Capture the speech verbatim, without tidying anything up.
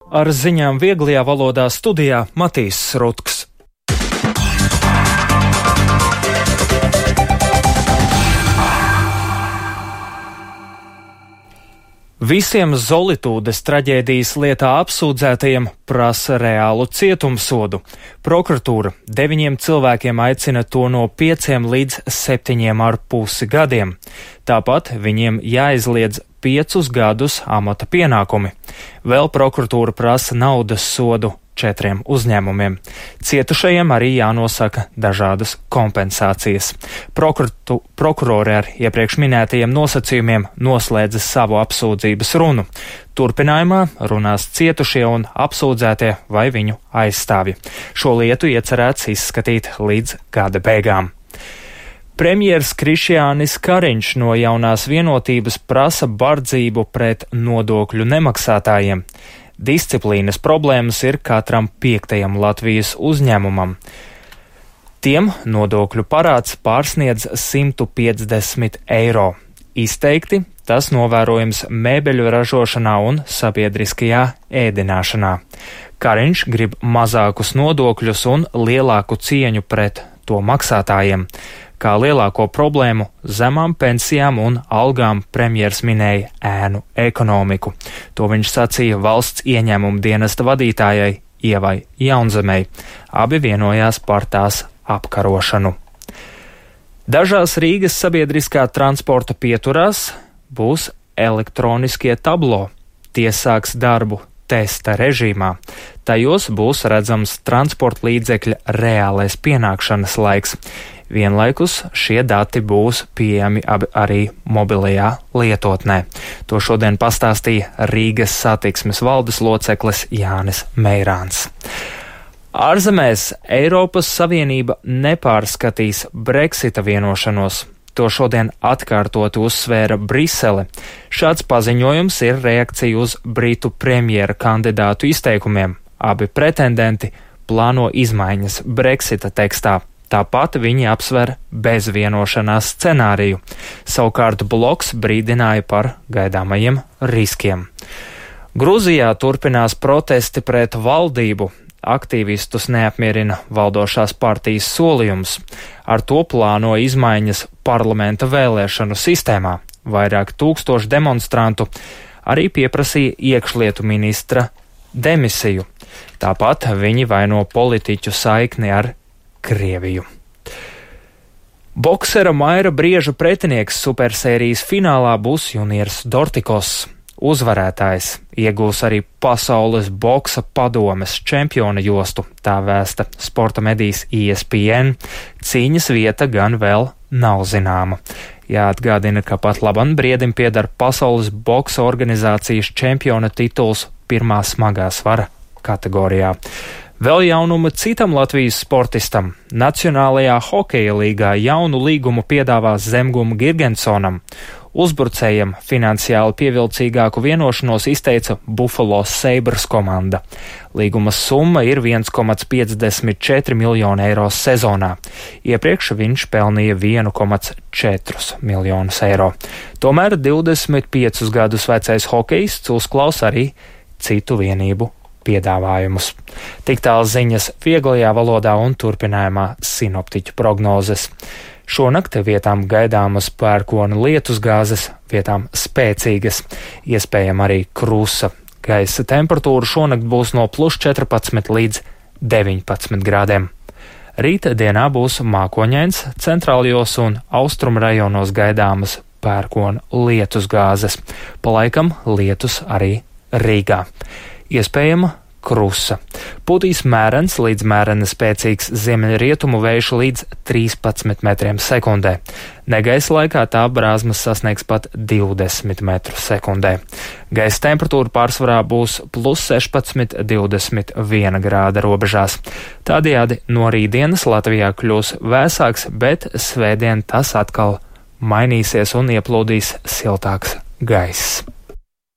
Ar ziņām vieglajā valodā studijā Matīs Rutks. Visiem Zolitūdes traģēdijas lietā apsūdzētajiem prasa reālu cietumsodu. Prokuratūra deviņiem cilvēkiem aicina to no pieciem līdz septiņiem ar pusi gadiem. Tāpat viņiem jāizliedz piecus gadus amata pienākumi. Vēl prokuratūra prasa naudas sodu četriem uzņēmumiem. Cietušajiem arī jānosaka dažādas kompensācijas. Prokuratu, prokurori ar iepriekš minētajiem nosacījumiem noslēdza savu apsūdzības runu. Turpinājumā runās cietušie un apsūdzētie vai viņu aizstāvji. Šo lietu iecerēts izskatīt līdz gada beigām. Premjers Krišjānis Kariņš no Jaunās vienotības prasa bardzību pret nodokļu nemaksātājiem. Disciplīnas problēmas ir katram piektajam Latvijas uzņēmumam. Tiem nodokļu parāds pārsniedz simt piecdesmit eiro. Izteikti tas novērojams mēbeļu ražošanā un sabiedriskajā ēdināšanā. Kariņš grib mazākus nodokļus un lielāku cieņu pret to maksātājiem. Kā lielāko problēmu zemām pensijām un algām premjers minēja ēnu ekonomiku. To viņš sacīja valsts ieņēmuma dienesta vadītājai Ievai Jaunzemei. Abi vienojās par tās apkarošanu. Dažās Rīgas sabiedriskā transporta pieturās būs elektroniskie tablo. Tie sāks darbu testa režīmā. Tajos būs redzams transporta līdzekļa reālais pienākšanas laiks. Vienlaikus šie dati būs pieejami arī mobilajā lietotnē. To šodien pastāstīja Rīgas satiksmes valdes loceklis Jānis Meirāns. Ārzemēs Eiropas Savienība nepārskatīs Brexita vienošanos. To šodien atkārtot uzsvēra Brisele. Šāds paziņojums ir reakcija uz Britu premjera kandidātu izteikumiem. Abi pretendenti plāno izmaiņas Brexita tekstā. Tāpat viņi apsver bezvienošanās scenāriju. Savukārt bloks brīdināja par gaidāmajiem riskiem. Grūzijā turpinās protesti pret valdību. Aktīvistus neapmierina valdošās partijas solījums. Ar to plāno izmaiņas parlamenta vēlēšanu sistēmā. Vairāk tūkstoši demonstrantu arī pieprasīja iekšlietu ministra demisiju. Tāpat viņi vaino politiķu saikni ar Krieviju. Boksera Maira Brieža pretinieks supersērijas finālā būs Juniers Dortikos. Uzvarētājs iegūs arī pasaules boksa padomes čempiona jostu, tā vēsta sporta medijas E S P N. Cīņas vieta gan vēl nav zināma. Jāatgādina, ka pat labam Briedim pieder pasaules boksa organizācijas čempiona tituls pirmā smagā svara kategorijā. Vēl jaunuma citam Latvijas sportistam. Nacionālajā hokeja līgā jaunu līgumu piedāvās Zemguma Girgensonam. Uzbrucējiem finansiāli pievilcīgāku vienošanos izteica Buffalo Sabres komanda. Līguma summa ir viens komats piecdesmit četri miljoni eiro sezonā. Iepriekš viņš pelnīja viens komats četri miljonus eiro. Tomēr divdesmit piecus gadus vecais hokejists uzklaus arī citu vienību piedāvājumus. Tik tālu ziņas vieglajā valodā un turpinājumā sinoptiķu prognozes. Šonakt vietām gaidāmas pērkona lietusgāzes, vietām spēcīgas, iespējama arī krusa. Gaisa temperatūra šonakt būs no plus četrpadsmit līdz deviņpadsmit grādiem. Rīta dienā būs mākoņains, centrālajos un austrumu rajonos gaidāmas pērkona lietusgāzes. Palaikam lietus arī Rīgā. Iespējama krusa. Pūtīs mērens līdz mērena spēcīgs ziemeļrietumu vējš līdz trīspadsmit metriem sekundē. Negaisa laikā tā brāzmas sasniegs pat divdesmit metrus sekundē. Gaisa temperatūra pārsvarā būs plus sešpadsmit līdz divdesmit viena grāda robežās. Tādējādi no rītdienas Latvijā kļūs vēsāks, bet svētdien tas atkal mainīsies un ieplūdīs siltāks gaiss.